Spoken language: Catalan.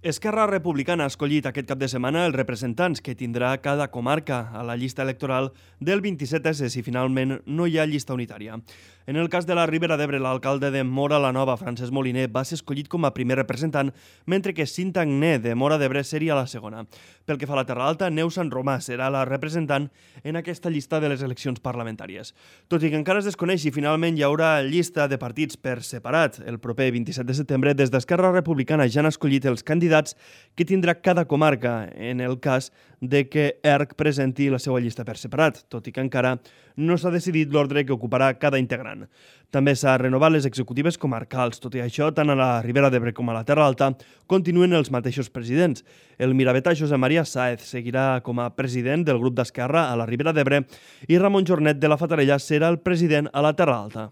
Esquerra Republicana ha escollit aquest cap de setmana els representants que tindrà cada comarca a la llista electoral del 27S si finalment no hi ha llista unitària. En el cas de la Ribera d'Ebre, l'alcalde de Móra la Nova, Francesc Moliner, va ser escollit com a primer representant, mentre que Cinta Agné, de Móra d'Ebre, seria la segona. Pel que fa a la Terra Alta, Neus Sant Romà serà la representant en aquesta llista de les eleccions parlamentàries. Tot i que encara es desconeix si finalment hi haurà llista de partits per separat el proper 27 de setembre, des d'Esquerra Republicana ja han escollit els candidats que tindrà cada comarca en el cas de que ERC presenti la seva llista per separat, tot i que encara no s'ha decidit l'ordre que ocuparà cada integrant. També s'ha renovat les executives comarcals. Tot i això, tant a la Ribera d'Ebre com a la Terra Alta continuen els mateixos presidents. El miravetà Josep Maria Sáez seguirà com a president del grup d'Esquerra a la Ribera d'Ebre i Ramon Jornet de la Fatarella serà el president a la Terra Alta.